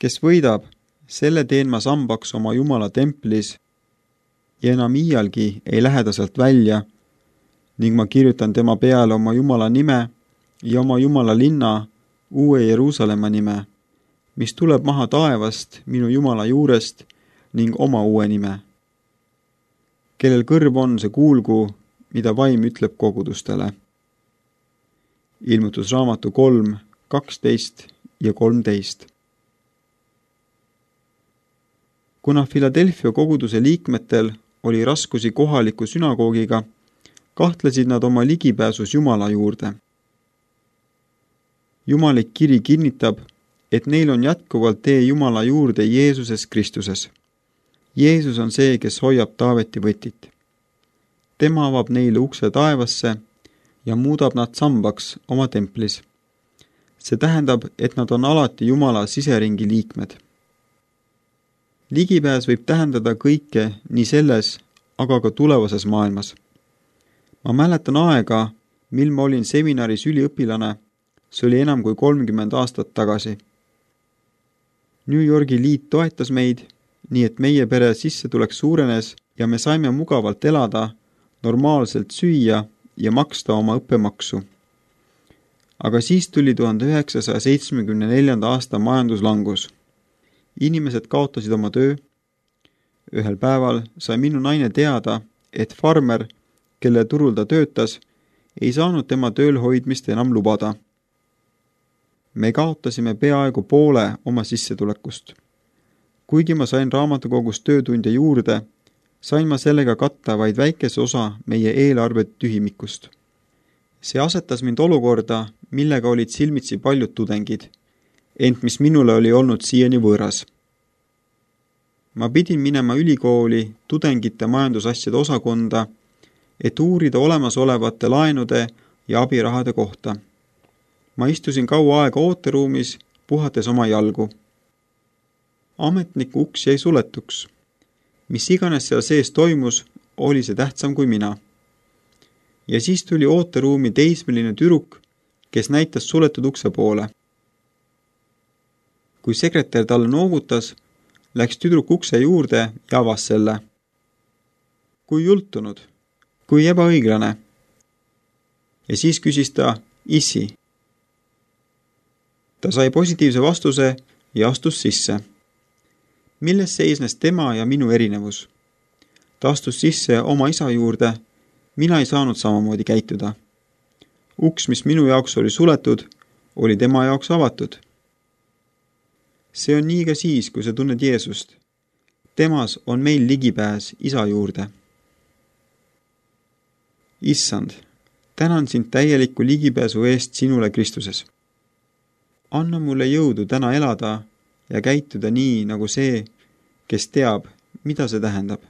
Kes võidab, selle teen ma sambaks oma Jumala templis ja enam iialgi ei lähe ta sealt välja ning ma kirjutan tema peale oma Jumala nime ja oma Jumala linna uue Jeruusalemma nime, mis tuleb maha taevast minu Jumala juurest ning oma uue nime. Kellel kõrv on, see kuulgu, mida vaim ütleb kogudustele. Ilmutusraamatu 3, 12 ja 13. Kuna Philadelphia koguduse liikmetel oli raskusi kohaliku sünagoogiga, kahtlesid nad oma ligipääsus Jumala juurde. Jumalik kiri kinnitab, et neil on jätkuvalt tee Jumala juurde Jeesuses Kristuses. Jeesus on see, kes hoiab Taaveti võtit. Tema avab neile ukse taevasse ja muudab nad sambaks oma templis. See tähendab, et nad on alati Jumala siseringi liikmed. Ligipääs võib tähendada kõike nii selles, aga ka tulevases maailmas. Ma mäletan aega, mil ma olin seminaris üliõpilane, see oli enam kui 30 aastat tagasi. New Yorgi liit toetas meid, nii et meie pere sissetulek suurenes ja me saime mugavalt elada, normaalselt süüa ja maksta oma õppemaksu. Aga siis tuli 1974. aasta majanduslangus. Inimesed kaotasid oma töö. Ühel päeval sai minu naine teada, et farmer, kelle turul ta töötas, ei saanud tema tööl hoidmist enam lubada. Me kaotasime peaaegu poole oma sissetulekust. Kuigi ma sain raamatukogus töötunde juurde, sain ma sellega katta vaid väikese osa meie eelarve tühimikust. See asetas mind olukorda, millega olid silmitsi paljud tudengid, ent mis minule oli olnud siiani võõras. Ma pidin minema ülikooli tudengite majandusasjade osakonda, et uurida olemasolevate laenude ja abirahade kohta. Ma istusin kaua aega ooteruumis, puhates oma jalgu. Ametniku uks jäi suletuks. Mis iganes seal sees toimus, oli see tähtsam kui mina. Ja siis tuli ooteruumi teismeline tüdruk, kes näitas suletud ukse poole. Kui sekretär talle noogutas, läks tüdruk ukse juurde ja avas selle. Kui jultunud, kui ebaõiglane. Ja siis küsis ta, issi. Ta sai positiivse vastuse ja astus sisse. Milles seisnes tema ja minu erinevus? Ta astus sisse oma isa juurde, mina ei saanud samamoodi käituda. Uks, mis minu jaoks oli suletud, oli tema jaoks avatud. See on nii ka siis, kui sa tunned Jeesust. Temas on meil ligipääs isa juurde. Issand, tänan sind täieliku ligipääsu eest sinule Kristuses. Anna mulle jõudu täna elada ja käituda nii nagu see, kes teab, mida see tähendab.